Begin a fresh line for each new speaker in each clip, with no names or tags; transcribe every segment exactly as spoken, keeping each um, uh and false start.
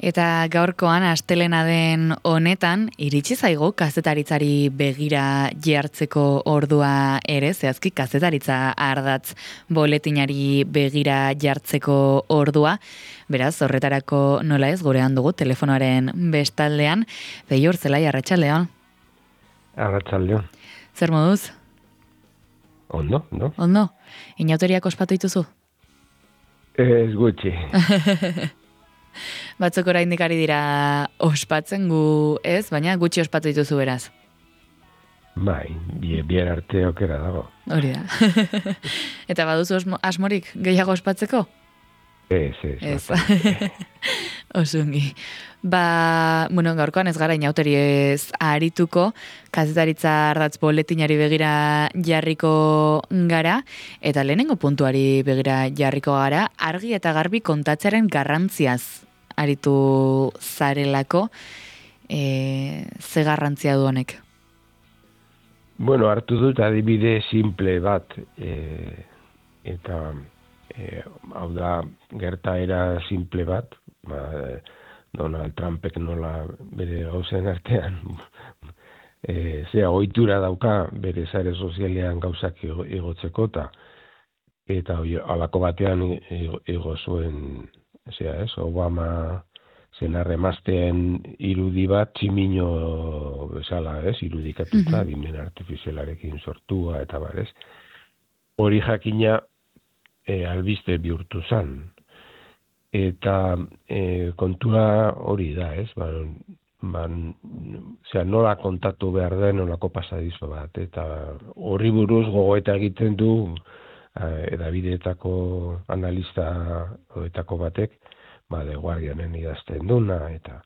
Eta gaurkoan astelena den honetan, iritsi zaigu kazetaritzari begira jartzeko ordua ere, zehazki kazetaritza ardatz boletinari begira jartzeko ordua. Beraz, horretarako nola ez gurean dugu telefonoaren bestaldean. Beiur, zelai, arratsaldeon.
Arratsaldeon.
Zer moduz?
Ondo, ondo.
Ondo? Inauteriak ospatu dituzu?
Ez gutxi.
Batzuk oraindik ari dira ospatzen gu ez, baina gutxi ospatu dituzu beraz.
Bai, bien arte okera dago.
Hori da. Eta baduzu osmo, asmorik gehiago ospatzeko?
Ez, ez.
Ez. Osungi. Ba, bueno, gaurkoan ez gara inauteri ez arituko, kazetaritza ardatz boletinari begira jarriko gara, eta lehenengo puntuari begira jarriko gara, argi eta garbi kontatzearen garrantziaz aritu zarelako, e, ze garrantzia du honek?
Bueno, hartu dut adibide simple bat, e, eta e, hau da gertaera simple bat, ba, Donald Trumpek nola bere gauzen artean e, zea ohitura dauka bere sare sozialean gauzak igotzeko eta eta halako batean igo zuen zea, ez, Obama senarre emazteen irudi bat tximino bezala, ez, irudikatuta, mm-hmm. dimen artifizialarekin sortua eta bar, ez. Hori jakina e, albiste bihurtu zan. Eta e, kontua hori da, ez? Ba, ba, zera, nola kontatu behar den nolako pasadizo bat. Eta horri buruz gogoeta egiten du edabideetako analista hoetako batek, ba, The Guardianen idazten duna, eta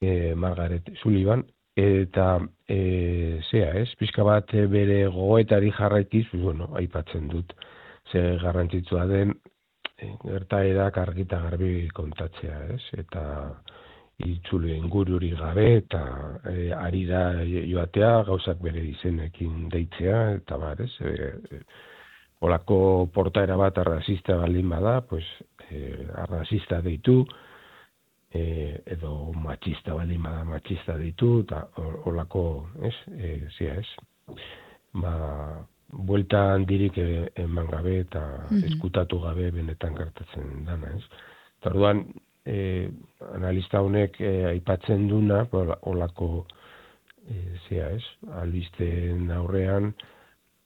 e, Margaret Sullivan, eta e, zea, ez? Pixka bat bere gogoetari jarraikiz, pues, bueno, aipatzen dut, ze garrantzitsua den, gertaerak argita garbi kontatzea, ez? Eta itzule ingururi gabe eta e, arira joatea, gauzak bere izenekin deitzea, eta bar, ez? E, e, olako portaera bat arrazista baldin bada, pues, e, arrazista deitu, e, edo matxista baldin bada matxista deitu, eta olako, ez? E, zia, ez? Ba, buelta handirik eman gabe eta mm-hmm. eskutatu gabe benetan gertatzen dana, ez? Eta orduan, e, analista honek e, aipatzen duna, olako, e, zea, ez? Albisteen aurrean,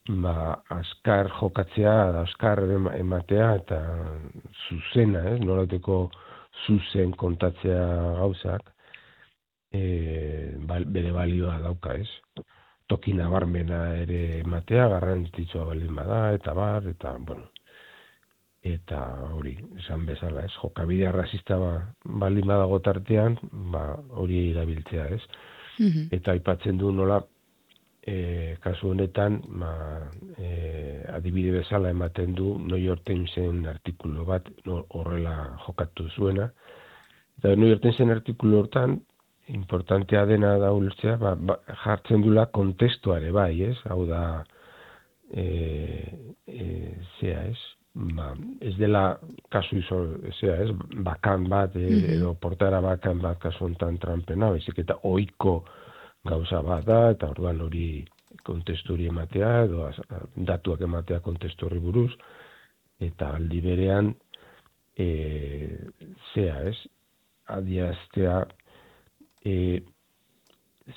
ba, askar jokatzea, askar ematea eta zuzena, ez? Nolateko zuzen kontatzea gauzak, e, bal, bere balioa dauka, ez? Toki nabarmena ere ematea, garrantzitsua baldin bada, eta bar, eta, bueno, eta hori, esan bezala, ez, jokabide arrazista ba, baldin badago tartean, ba, hori erabiltzea, ez, mm-hmm. eta aipatzen du nola, e, kasu honetan, ba, e, adibide bezala ematen du New York Timesen artikulu bat, no, horrela jokatu zuena, eta New York Timesen artikulu hortan, importantea dena da ulertzea, ba, ba, jartzen dula kontestuare bai, ez? Hau da, e, e, zea, ez? Ba, ez dela kasu izo, zea, ez? Bakan bat, e, mm-hmm. edo portara bakan bat kasu ontan Trumpena, bezik eta ohiko gauza bat da, eta orduan hori kontestu hori ematea, edo az, datuak ematea kontestu horri buruz, eta aldi berean, e, zea, ez? Adiaztea, E,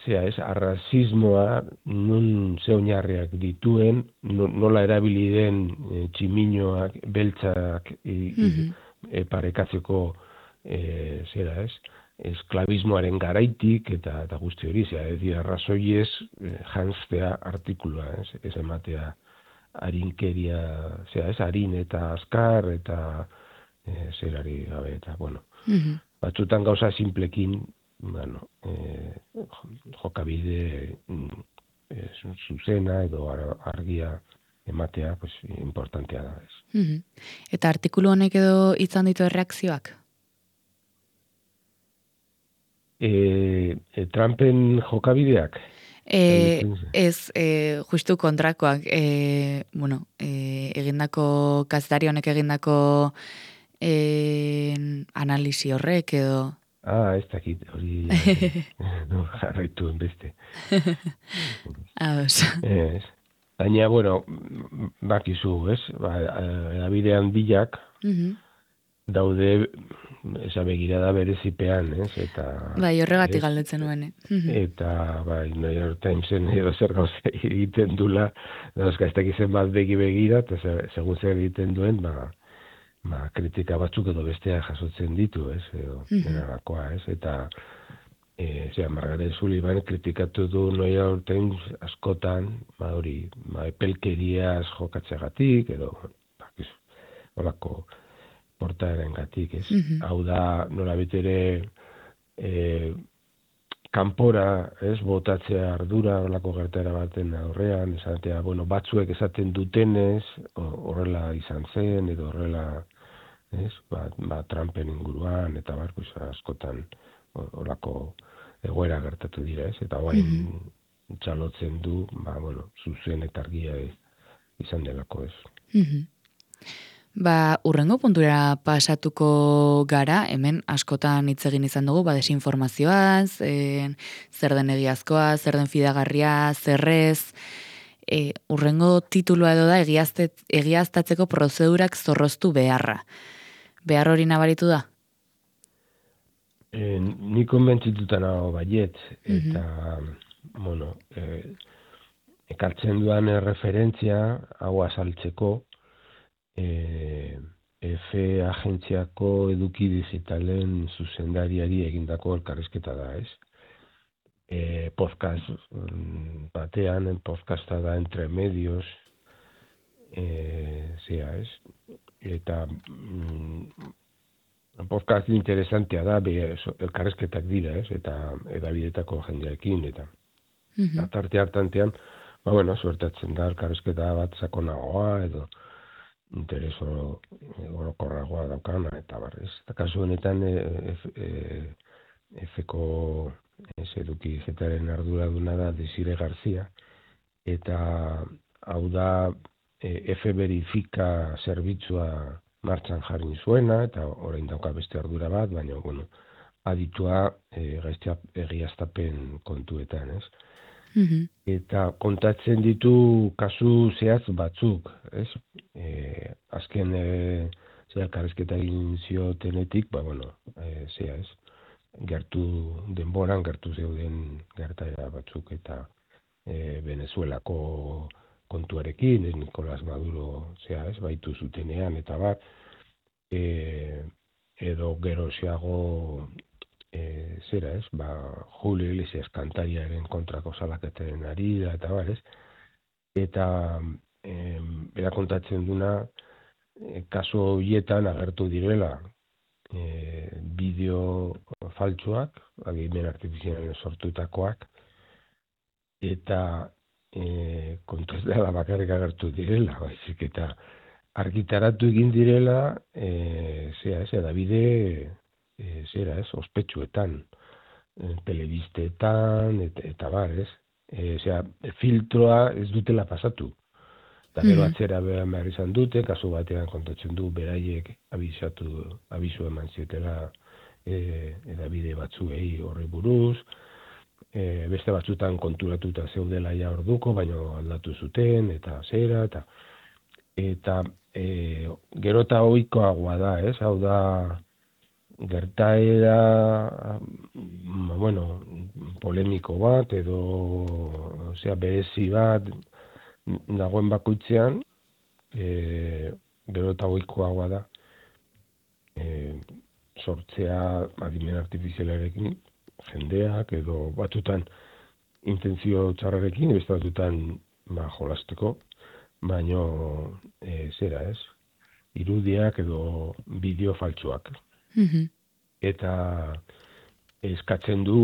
zea ez, arrazismoa nun ze oinarriak dituen, no, nola erabili den e, tximinoak, beltzak e, mm-hmm. e, parekatzeko e, zera ez, esklabismoaren garaitik eta, eta guzti hori, zera, ez dira arrazoiez e, janztea artikulua, ez, ez ematea harinkeria, zera ez, harin eta azkar eta e, zerari gabe eta, bueno, mm-hmm. batzutan gauza simplekin, bueno, eh, jokabide eh, zuzena edo argia ematea, pues, importantea da. Ez.
Mm-hmm. Eta artikulu honek edo izan ditu erreakzioak?
E, e, Trumpen jokabideak?
E, ez, e, justu kontrakoak, e, bueno, e, egindako, kazetari honek egindako e, analisi horrek edo
Ah, ez dakit, hori no, jarraituen beste.
Ados.
Ez. Baina, bueno, bakizu, ez? Ba, edabidean bilak
Mhm.
daude, esa begirada berezipean, ez? Eta,
Bai, horregatik
ez?
galdetzen nuen. Mhm.
Eta, bai, New York Timesen edo zer gauza egiten dula, dauzka, ez dakizen bat begi begira, eta ze- segun zer egiten duen, ba, ba, kritika batzuk edo bestea jasotzen ditu, ez? Edo,
Mhm.
denarakoa, ez? Eta, E, zera, Margaret Sullivan kritikatu du New York Times askotan, ba hori, ba, epelkeriaz jokatzeagatik, edo, bakiz, horako portaeren gatik, ez?
Mhm.
Hau da, nola ere e, kanpora, ez, botatzea ardura, horlako gertera baten aurrean, esatea, bueno, batzuek esaten dutenez, horrela izan zen, edo horrela, ez, ba, ba Trumpen inguruan, eta barko askotan, horako egoera gertatu dira, ez? Eta guain
Mhm.
txalotzen du, ba, bueno, zuzen eta argia izan delako, ez?
Mhm. Ba, urrengo puntura pasatuko gara, hemen askotan hitz egin izan dugu, ba, desinformazioaz, e, zer den egiazkoa, zer den fidagarria, zerrez, e, urrengo titulua edo da egiaztet, egiaztatzeko prozedurak zorroztu beharra. Behar hori nabaritu da?
E, ni konbentzituta nago baiet,
Mhm.
eta, bueno, e, ekartzen duan referentzia, hau azaltzeko, e, F agentziako eduki digitalen zuzendariari egindako elkarrizketa da, ez? E, podcast mm, batean, en podcasta da Entre Medios, e, zera, ez? Eta mm, podcast interesantea da, be, so, elkarrezketak dira, ez? Eta edabidetako jendeekin, eta
Mhm.
tarte hartantean, ba, bueno, suertatzen da elkarrezketa bat sakonagoa, edo interes oro, orokorragoa daukana, eta barrez. Eta kasu honetan, e, e, F-ko ez eduki zetaren arduraduna da Desire Garzia, eta hau da e, F verifika zerbitzua martxan jarri zuena, eta orain dauka beste ardura bat, baina, bueno, aditua e, gaiztea egiaztapen kontuetan, ez?
Mhm.
Eta kontatzen ditu kasu zehatz batzuk, ez? E, azken e, zera karrezketa egin ziotenetik, ba, bueno, e, zera, ez? Gertu denboran, gertu zeuden gertaera batzuk, eta e, Venezuelako kontuarekin, ez Nicolás Maduro, zera, ez? Baitu zutenean, eta bat, e, edo geroxeago e, zera, ez? Ba, Julio Iglesias kantariaren kontrako salaketaren ari da, eta bar, ez? Eta e, bera kontatzen duna, e, kasu horietan agertu direla e, bideo faltsuak, agimen artifizialen sortutakoak, eta e, kontu ez dela bakarrik agertu direla, baizik, eta argitaratu egin direla, e, zera, ez, edabide, e, zera, ez, ospetsuetan, e, telebistetan, eta, eta bar, ez, e, zera, filtroa ez dutela pasatu. Eta gero
Mhm.
atzera behar behar izan dute, kasu batean kontatzen du, beraiek abizatu, abizu eman zietela e, edabide batzuei horri buruz, e, beste batzutan konturatuta zeudela ja orduko, baina aldatu zuten, eta zera, eta eta e, gero eta ohikoagoa da, ez? Hau da, gertaera, mm, bueno, polemiko bat, edo, osea, berezi bat, dagoen bakoitzean, e, gero eta ohikoagoa da, e, sortzea adimen artifizialarekin, jendeak, edo batutan intentzio txarrarekin, beste batutan ba, jolasteko, baino e, zera ez, irudiak edo bideo faltsuak.
Mhm.
Eta eskatzen du,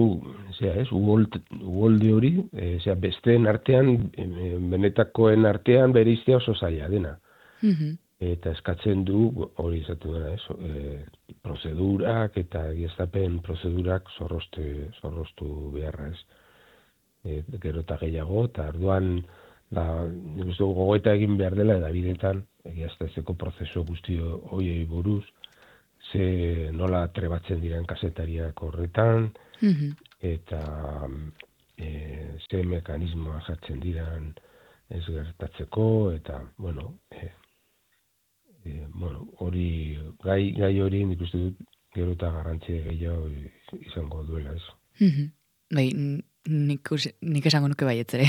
zera ez, uholde hori, e, zera besteen artean, e, benetakoen artean bereiztea oso zaila dena.
Mhm.
Eta eskatzen du, hori izatu dena ez, e, prozedurak eta egiaztapen prozedurak zorrostu, zorrostu beharra ez. E, gero eta gehiago, eta arduan, da, nik uste gogoeta egin behar dela, edabidetan, egiaztatzeko prozesu guzti hoiei buruz, ze nola trebatzen diren kazetariak horretan,
Mhm.
eta e, ze mekanismoa jartzen diran ez gertatzeko, eta, bueno, e, e, bueno, hori, gai, gai hori nik uste dut gero eta garrantzia gehiago izango duela, ez.
Mhm. Bai, n- nik, us- nik esango nuke baietz ere.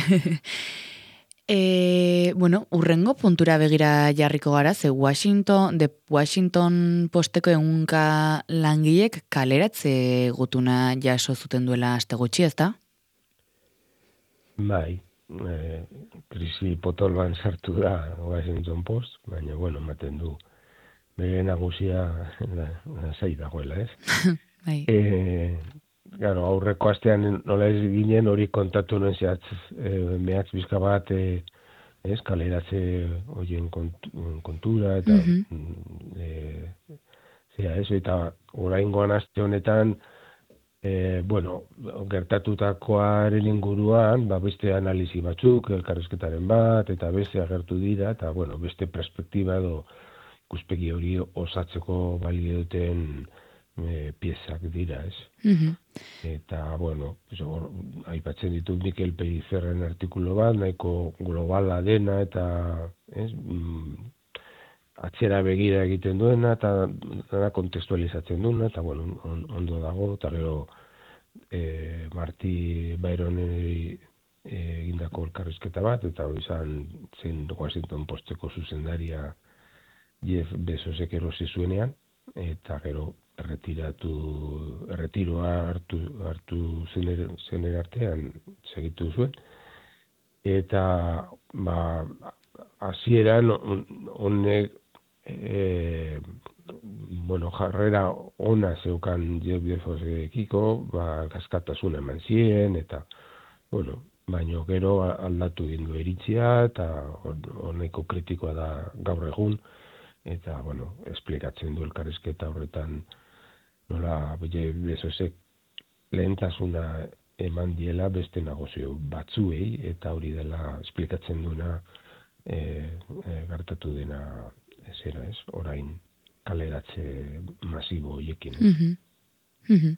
E, bueno, urrengo puntura begira jarriko gara, ze Washington, de Washington posteko egunka langilek kaleratze gutuna jaso zuten duela aste gutxi, ezta?
Bai, e, krisi potoloan sartu da Washington Post, baina, bueno, ematen du bere nagusia zai dagoela, ez?
Bai.
E, claro, aurreko astean nola ez ginen hori kontatu nuen zehatz, e, mehatz bizka bat, e, ez, kaleratze horien kontura, eta
Mhm.
e, zera ez, eta oraingoan aste honetan, e, bueno, gertatutakoaren inguruan, ba, beste analizi batzuk, elkarrizketaren bat, eta beste agertu dira, eta, bueno, beste perspektiba edo ikuspegi hori osatzeko balio duten e, piezak dira, ez?
Mhm.
Eta, bueno, pues, or, aipatzen ditu Mikel Pelizerren artikulu bat, nahiko globala dena, eta, ez, mm, atzera begira egiten duena, eta dena kontekstualizatzen duena, eta, bueno, on, ondo dago, eta gero e, Marti Byroneri egindako elkarrizketa bat, eta hori izan zen Washington Posteko zuzendaria Jeff Bezosek erosi zuenean, eta gero erretiratu, erretiroa hartu, hartu zener, zener artean segitu zuen. Eta, ba, hasieran honek, e, bueno, jarrera ona zeukan Jeff Bezosekiko, ba, gaskatasuna eman zien, eta, bueno, baino gero aldatu dindu iritzia, eta honeko kritikoa da gaur egun, eta, bueno, esplikatzen du elkarrizketa horretan nola Jeff Bezosek lehentasuna eman diela beste negozio batzuei, eta hori dela esplikatzen duena e, e, gertatu dena zera ez, orain kaleratze masibo hoiekin. Ez?
Mhm. Mhm.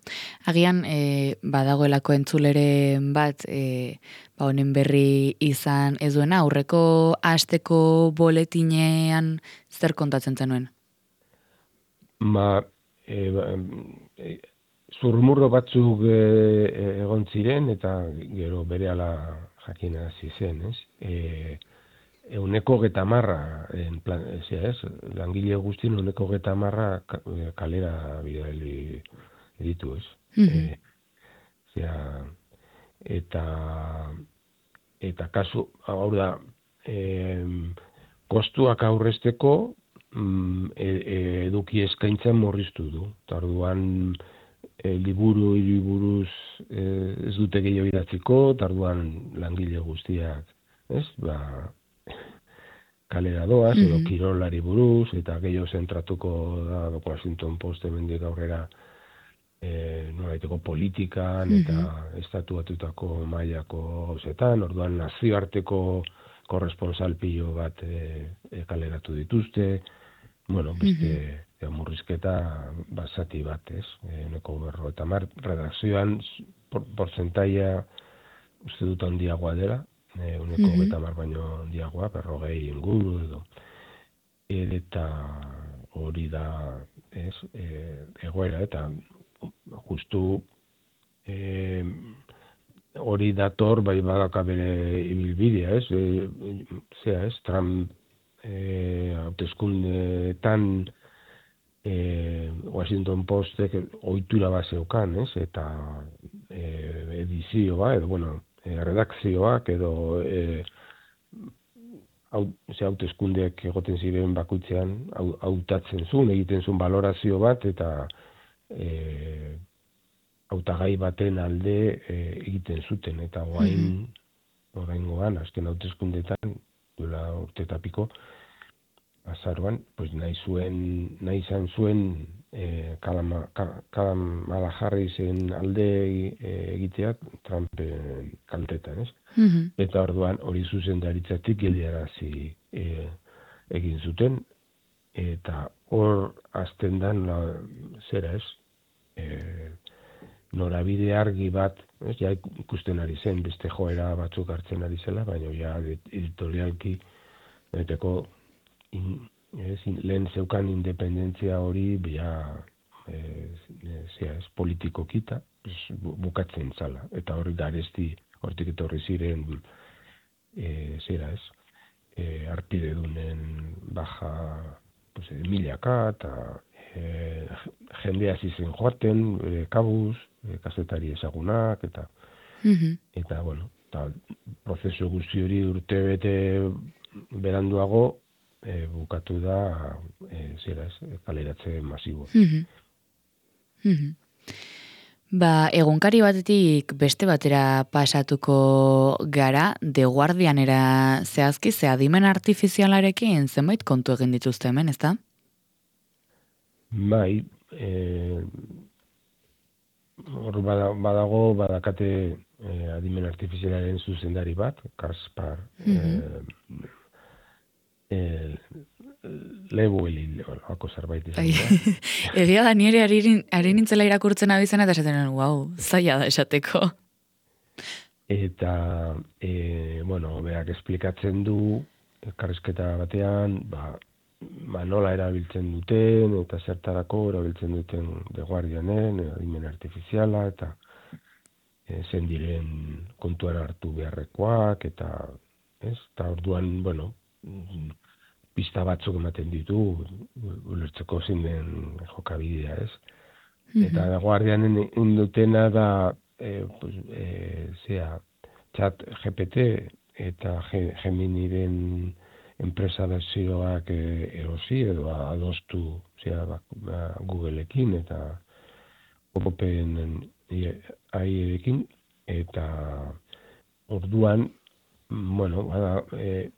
Agian e, badagoelako entzuleren bat e, ba honen berri izan ez duena, aurreko asteko boletinean zer kontatzen zenuen?
Ma, e, ba, e, zurmurro batzuk e, egon ziren, eta gero berehala jakin hasi zen, ez? E, Euneko getamarra, en plan, ez, langile guztien euneko getamarra kalera bidali ditu, ez?
Mhm.
E, zera, eta eta kasu, hau da, e, kostuak aurrezteko mm, e, e, eduki eskaintzen murriztu du. Eta orduan e, liburu hiriburuz e, ez dute gehiago idatziko, eta orduan langile guztiak, ez? Ba, kalera doaz, edo
Mhm.
kirolari buruz, eta gehiago zentratuko da Washington Post hemendik aurrera e, nolaiteko politikan eta
Mhm.
estatuatutako mailako gauzetan, orduan nazioarteko korresponsal pilo bat e, e, kaleratu dituzte, bueno, beste
Mhm.
e, murrizketa basati bat, ez? E, neko berro eta mar, redakzioan por, porcentaia uste dut handiagoa dela, e, uneko
Mhm.
geta mar baino handiagoa, berrogei inguru edo. Eta hori da, ez, e, egoera, eta justu e, hori dator, bai badaka bere ibilbidea, ez, e, zera, ez, Trump e, hauteskundeetan e, Washington Postek ohitura bat zeukan, ez, eta e, edizioa, edo, bueno, e, redakzioak, edo e, ze hauteskundeak egoten ziren bakoitzean hautatzen zuen, egiten zuen balorazio bat, eta e, hautagai baten alde e, egiten zuten, eta orain
Mhm.
oraingoan azken hauteskundeetan duela urte eta piko azaroan, pues nahi zuen, nahi izan zuen e, Kalama, Kamala Harrisen alde e, egiteak Trumpen kaltetan, ez?
Mhm.
Eta orduan hori zuzendaritzatik geldiarazi e, egin zuten, eta hor azten dan, la, zera ez, e, norabide argi bat, ez, ja ikusten ari zen, beste joera batzuk hartzen ari zela, baina ja editorialki, beteko, in, ez, lehen zeukan independentzia hori, ja, e, zera ez, politiko kita, bukatzen zala, eta hori garesti, hortik etorri ziren, e, zera ez, e, arpide dunen baja, pues, milaka, eta e, jendea zizen joaten, e, kabuz, e, kazetari ezagunak, eta,
Mhm.
eta bueno, eta prozesu guzti hori urte bete beranduago, e, bukatu da, e, zera ez, kaleratze masibo.
Mhm. Mhm. Ba, egunkari batetik beste batera pasatuko gara, The Guardianera zehazki, ze adimen artifizialarekin zenbait kontu egin dituzte hemen, ezta?
Bai, e, hor bada, badago, badakate e, adimen artifizialaren zuzendari bat, Kaspar,
Mhm.
e, e, Lewelin, olako zerbait izan
Ai,
da.
egia da nire ari, ari nintzela irakurtzen abizena eta esaten, wow, zaila da esateko.
Eta, e, bueno, berak esplikatzen du, elkarrizketa batean, ba, ba, nola erabiltzen duten, eta zertarako erabiltzen duten The Guardianen, adimen artifiziala, eta e, zen diren kontuan hartu beharrekoak, eta, ez, eta orduan, bueno, pista batzuk ematen ditu, ulertzeko zein den jokabidea, ez? Eta The Guardianen indutena da, e, pues, e, zea, chat G P T eta Geminiren enpresa berzioak e, erosi edo adostu, zea, ba, ba, Googleekin eta Open A I-ekin, eta orduan, bueno, bada, e,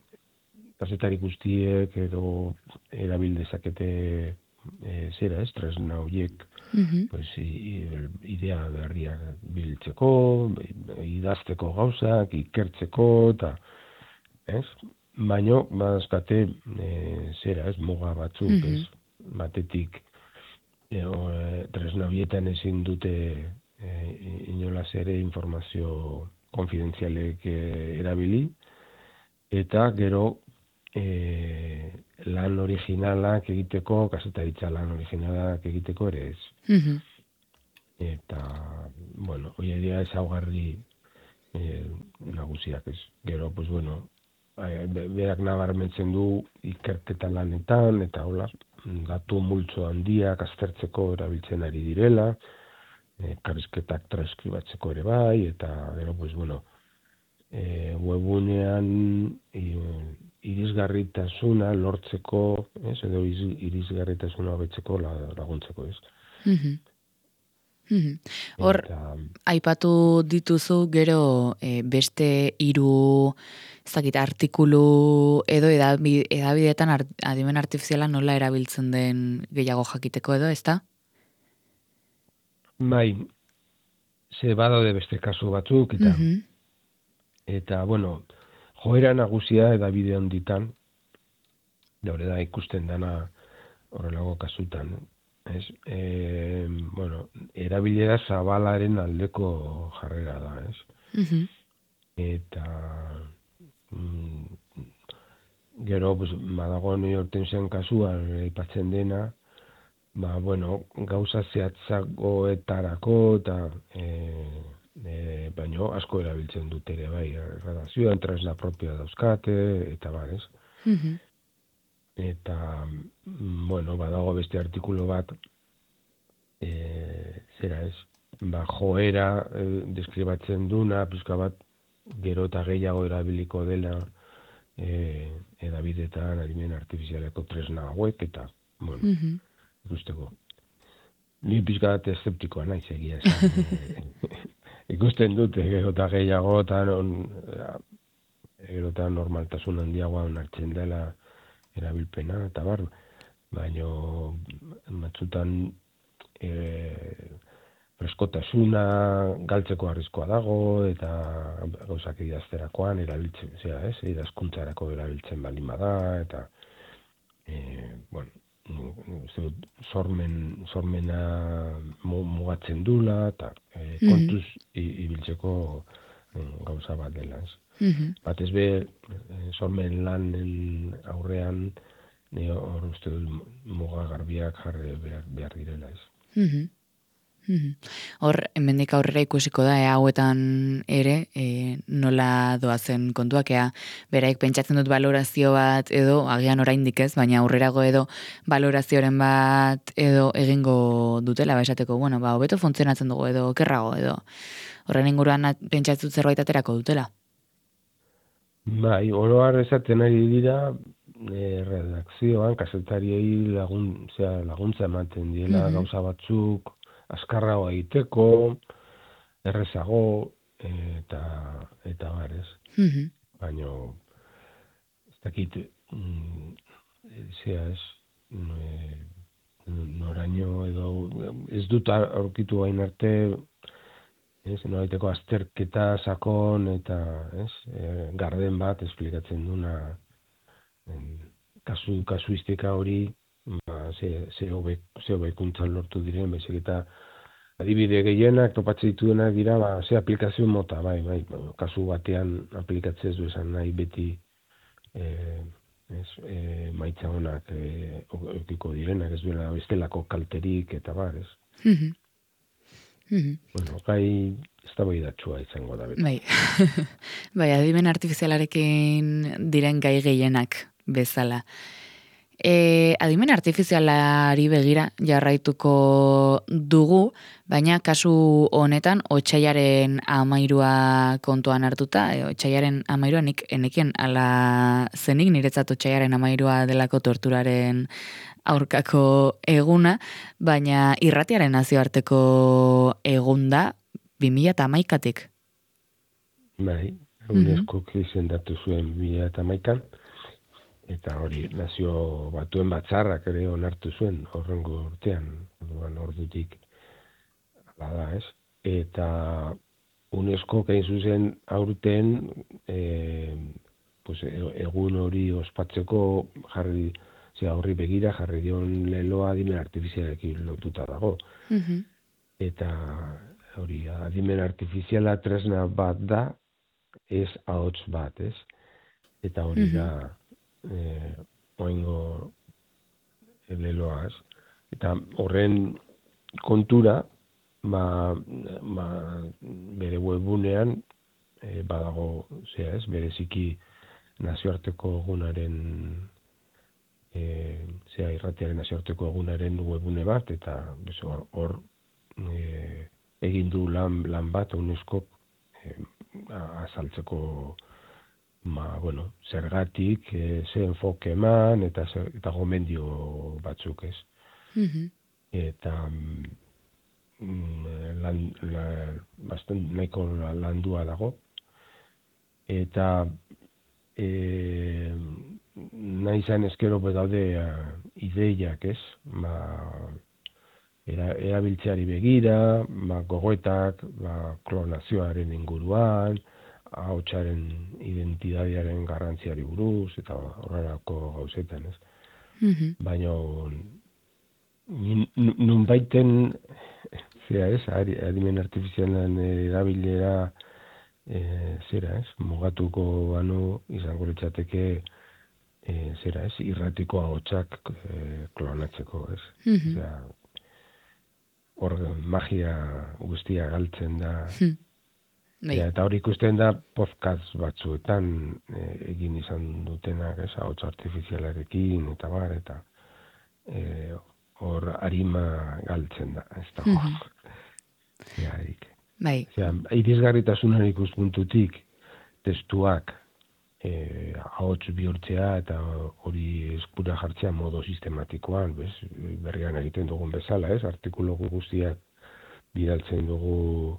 kazetari guztiek edo erabil dezakete e, zera ez, tresna horiek,
Mhm.
pues, i, idea berriak biltzeko, idazteko gauzak, ikertzeko, eta, ez? Baino, badazkate, e, zera ez, muga batzuk,
Mhm.
ez? Batetik, e, o, e, tresna horietan ezin dute e, inolaz ere informazio konfidentzialek e, erabili, eta gero e, lan originalak egiteko, kazetaritza lan originalak egiteko ere ez.
Mhm.
Eta, bueno, hori dira ezaugarri e, nagusiak ez. Gero, pues bueno, e, berak nabarmentzen du ikerketa lanetan, eta hola, datu multzo handiak aztertzeko erabiltzen ari direla, e, karrizketak transkribatzeko ere bai, eta gero, pues bueno, e, webunean e, irisgarritasuna lortzeko, ez, edo irisgarritasuna hobetzeko laguntzeko, ez.
Mhm. Mhm. Hor,
Eta,
aipatu dituzu gero e, beste hiru ez dakit, artikulu edo edabi, edabideetan art, adimen artifiziala nola erabiltzen den gehiago jakiteko edo, ezta?
bai, ze badaude beste kasu batzuk, eta,
Mhm.
eta bueno, joera nagusia edabide handitan, hori da ikusten dana horrelago kasutan, ez? E, bueno, erabilera zabalaren aldeko jarrera da, ez?
Mhm.
Eta mm, gero, pues, badago New York Timesen kasuan aipatzen dena, ba, bueno, gauza zehatzagoetarako eta e, e, baino asko erabiltzen dute ere bai, redazioan tresna propioa dauzkate, eta bar, ez?
Mhm.
Eta, mm, bueno, badago beste artikulu bat, e, zera ez, ba, joera e, deskribatzen duna, pizka bat, gero eta gehiago erabiliko dela e, edabidetan adimen artifizialeko tresna hauek, eta, bueno,
Mhm.
ikusteko. Ni pizka bat eszeptikoa naiz egia esan. e, ikusten dute gero eta gehiago, eta non, gero eta normaltasun handiagoa onartzen dela erabilpena, eta bar, baino batzutan e, freskotasuna galtzeko arriskoa dago, eta gauzak idazterakoan erabiltzen, zera, ez, idazkuntzarako erabiltzen balin bada, eta e, bueno, sormen, sormena mugatzen dula, eta e, kontuz ibiltzeko gauza bat dela.
Mm-hmm.
Batez be, sormen lanen aurrean, ne hor uste dut muga garbiak jarri behar, behar direla ez.
Mm-hmm. Hor, hemendik aurrera ikusiko da, ea hauetan ere, e, nola doazen kontuak, ea beraik pentsatzen dut balorazio bat edo, agian oraindik ez, baina aurrerago edo balorazioren bat edo egingo dutela, ba esateko, bueno, ba, hobeto funtzionatzen dugu edo, okerrago edo, horren inguruan pentsatzen zerbait aterako dutela.
Bai, oroar esaten ari dira, e, redakzioan, kasetariei lagun, zera, laguntza ematen diela, mm-hmm. gauza batzuk, azkarrago egiteko, errezago, eta eta barez.
Mm-hmm.
Baina, ez dakit, mm, zera ez, noraino edo, ez dut aurkitu gain arte, ez, noraiteko azterketa sakon eta, ez, e, garden bat esplikatzen duna, en, kasu, kasuistika hori, ba, ze, ze hobekuntzan lortu diren, baizik eta adibide gehienak topatzen dituenak dira, ba, ze aplikazio mota, bai, bai, kasu batean aplikatzez du esan nahi beti e, ez, e, maitza honak e, okiko direnak, ez duela bestelako kalterik eta bar, ez.
Mm-hmm. Mm-hmm.
Bueno, gai ez da bai datxua izango da beti.
Bai, bai, adimen artifizialarekin diren gai gehienak bezala. E, adimen artifizialari begira jarraituko dugu, baina kasu honetan otsailaren amairua kontuan hartuta, e, otsailaren amairua nik enekien ala zenik niretzat otsailaren amairua delako torturaren aurkako eguna, baina irratiaren nazioarteko egunda bi mila hamaikatik.
Bai, UNESCOk izendatu zuen bi mila hamaikan, eta hori nazio batuen batzarrak ere onartu zuen horrengo urtean, orduan ordutik bada, ez? Eta UNESCO hain zuzen aurten e, pues, egun hori ospatzeko jarri, ze horri begira jarri dion leloa adimen artifizialekin lotuta dago.
Mm-hmm.
Eta hori adimen artifiziala tresna bat da, ez ahots bat, ez? Eta hori da Eh, oingo leloaz. Eta horren kontura, ba, ba, bere webunean e, badago, zera ez, bereziki nazioarteko egunaren e, zera irratiaren nazioarteko egunaren webune bat, eta hor, hor e, egin du lan, lan bat UNESCO e, azaltzeko Ma, bueno, zergatik, e, ze enfoke eman, eta, zer, eta gomendio batzuk ez.
Mm-hmm.
Eta mm, lan, la, bastan nahiko landua dago. Eta e, nahi zan eskero bedaude ideiak ez. Ma, era, erabiltzeari begira, ma, gogoetak, ma, klonazioaren inguruan, ahotsaren identitatearen garrantziari buruz, eta horrelako gauzetan, ez?
Mm-hmm.
Baina nun baiten, zera ez, adimen artifizialan erabilera e, zera ez, mugatuko banu izango litzateke e, zera ez, irratiko ahotsak e, klonatzeko, ez?
Mm-hmm.
Zera, hor magia guztia galtzen da,
mm.
Ja, eta hori ikusten da podcast batzuetan e, egin izan dutenak, ez, ahots artifizialarekin, eta bar, eta e, hor arima galtzen da, ez da. Mm-hmm. Ja,
bai.
Ja, irisgarritasunaren ikuspuntutik testuak e, ahots bihurtzea eta hori eskura jartzea modo sistematikoan, bez, berrian egiten dugun bezala, ez, artikulu guztiak bidaltzen dugu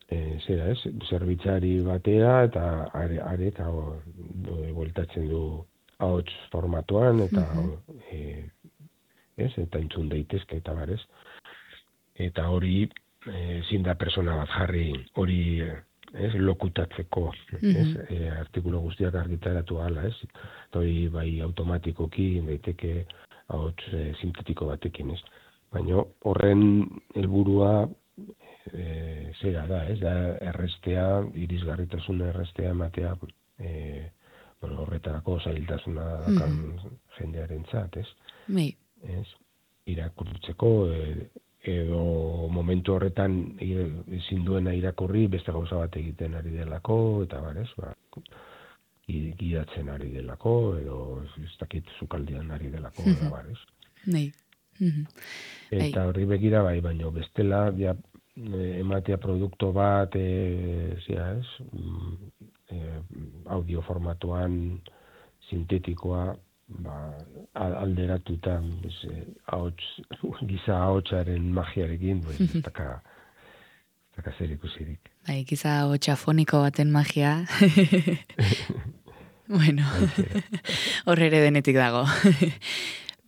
E, zera ez, zerbitzari batea eta are, are eta bueltatzen du ahots formatuan eta mm-hmm. e, ez, eta entzun daitezke eta barez. Eta hori ezin da persona bat jarri hori ez, lokutatzeko, mm-hmm. ez, e, artikulu guztiak argitaratu hala, ez. Eta hori bai automatikoki daiteke ahots e, sintetiko batekin, ez? Baina horren helburua e, zera da, ez? Da errestea, irisgarritasun errestea ematea, e, bueno, horretarako zailtasuna dakan mm-hmm. jendearen zat, ez?
Bai.
Ez? Irakurtzeko, e, edo momentu horretan ezin duena irakurri beste gauza bat egiten ari delako, eta bar, ez? Ba, gidatzen ari delako, edo ez dakit sukaldean ari delako, mm-hmm. eta bar, ez?
Bai. Mm-hmm.
Eta horri begira bai, baino bestela ja, ematea produktu bat, e, zera, ez? E, audio formatuan sintetikoa, ba, alderatuta bez, ahots, giza ahotsaren magiarekin, pues, ez daka, ez daka zer ikusirik.
Bai, giza ahotsafoniko baten magia. Bueno, hor ere denetik dago.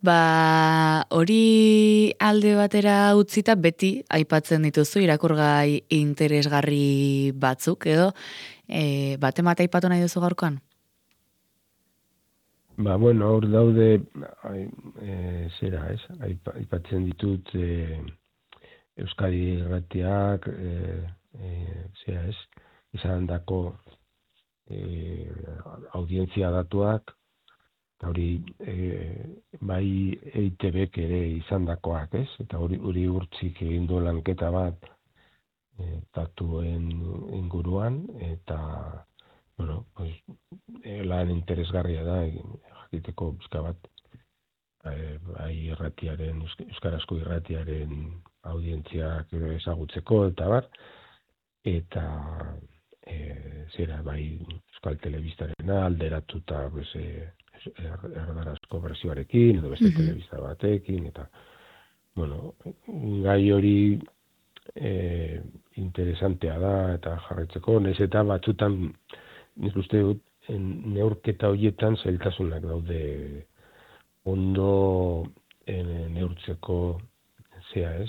Ba, hori alde batera utzita beti aipatzen dituzu irakurgai interesgarri batzuk, edo e, bate mate aipatu nahi duzu gaurkoan?
Ba, bueno, hor daude, e, zera, ez? Aipatzen ditut e, Euskadi Irratiak, e, e, zera, ez? Izan dako e, audientzia datuak, hori e, bai E I Te Bek ere izandakoak, ez? Eta hori hori urtzik egin du lanketa bat e, datuen inguruan, eta bueno, pues, e, lan interesgarria da, jakiteko bizka bat, e, bai irratiaren, euskarazko irratiaren audientziak ezagutzeko, eta bar, eta e, zera, bai Euskal Telebistarena alderatuta, pues, e, erdarazko versioarekin, edo beste mm-hmm. telebista batekin, eta, bueno, gai hori e, interesantea da, eta jarraitzeko, nahiz eta batzutan, nik uste dut, neurketa horietan zailtasunak daude ondo en, neurtzeko zea, ez?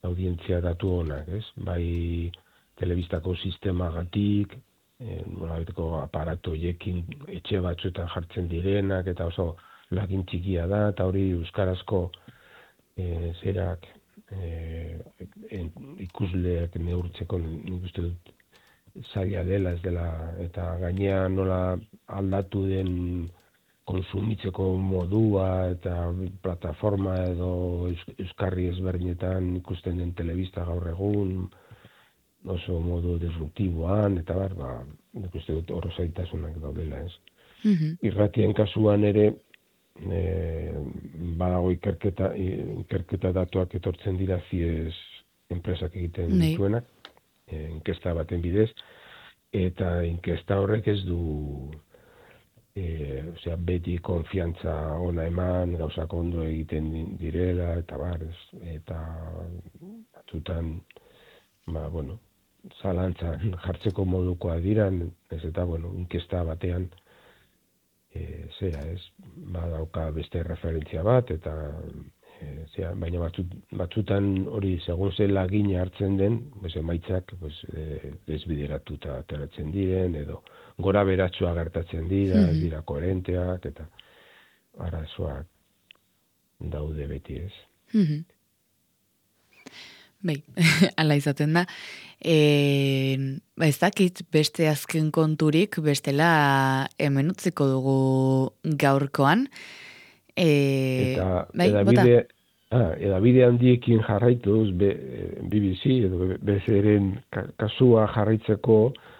Audientzia datu honak, ez? Bai telebistako sistemagatik, nolabeteko aparato jekin etxe batzuetan jartzen direnak, eta oso lagin txikia da, eta hori euskarazko e, zerak e, en, ikusleak neurtzeko nik uste dut zaila dela, ez dela, eta gainean nola aldatu den konsumitzeko modua, eta plataforma edo euskarri ezberdinetan ikusten den telebista gaur egun, oso modu disruptiboan, eta bar, ba, nik uste dut horro zaitasunak daudela, ez. Mm-hmm. Irratien kasuan ere, e, badago ikerketa, ikerketa datuak etortzen dira ziez enpresak egiten
nee.
dituenak, e, inkesta baten bidez, eta inkesta horrek ez du, e, osea, beti konfiantza ona eman, gauzak ondo egiten direla, eta bar, ez, eta batzutan, ba, bueno, zalantzan jartzeko modukoa diran, ez eta, bueno, inkesta batean, e, zera, ez, badauka beste referentzia bat, eta, e, zera, baina batzut, batzutan hori, segun ze lagina hartzen den, bez, emaitzak, bez, e, desbideratuta ateratzen diren, edo gora beratxua gertatzen dira, mm-hmm. dira koherenteak, eta arazoak daude beti, ez.
Mm-hmm. Bai, ala izaten da. E, ba ez dakit beste azken konturik, bestela hemen utziko dugu gaurkoan. E,
eta
bai,
edabide, ah, edabide handiekin jarraituz, B B C edo B C ren kasua jarraitzeko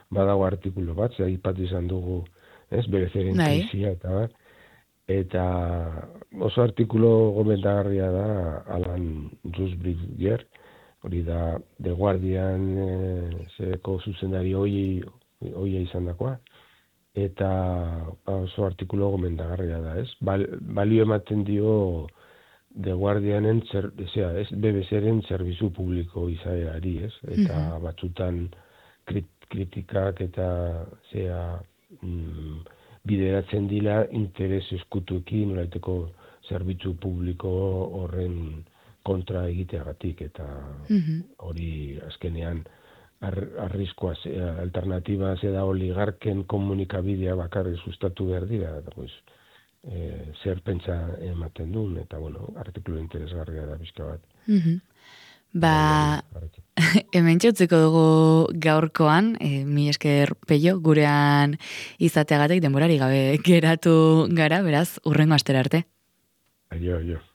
badago artikulu bat, ze aipatu izan dugu, ez, B C ren krisia, eta bat. Eta oso artikulu gomendagarria da Alan Rusbridger, hori da The Guardian e, zereko zuzendari hoi, hoia izan dakoa, eta oso artikulu gomendagarria da, ez? Bal, balio ematen dio The Guardianen, zer, zera, ez, B B C ren zerbizu publiko izaerari, ez? Eta mm-hmm. batzutan krit, kritikak eta zera, mm, bideratzen dira interes eskutuekin, nolaiteko zerbitzu publiko horren kontra egiteagatik, eta hori mm-hmm. azkenean ar, arriskoa, alternatiba ze da oligarken komunikabidea bakarri sustatu behar dira, eta pues, e, zer pentsa ematen duen, eta, bueno, artikulu interesgarria da bizka bat.
Mm-hmm. Ba, hemen txutziko dugu gaurkoan, e, mi esker Peio, gurean izateagatik denborari gabe geratu gara, beraz, urrengo astera arte.
Aio, aio.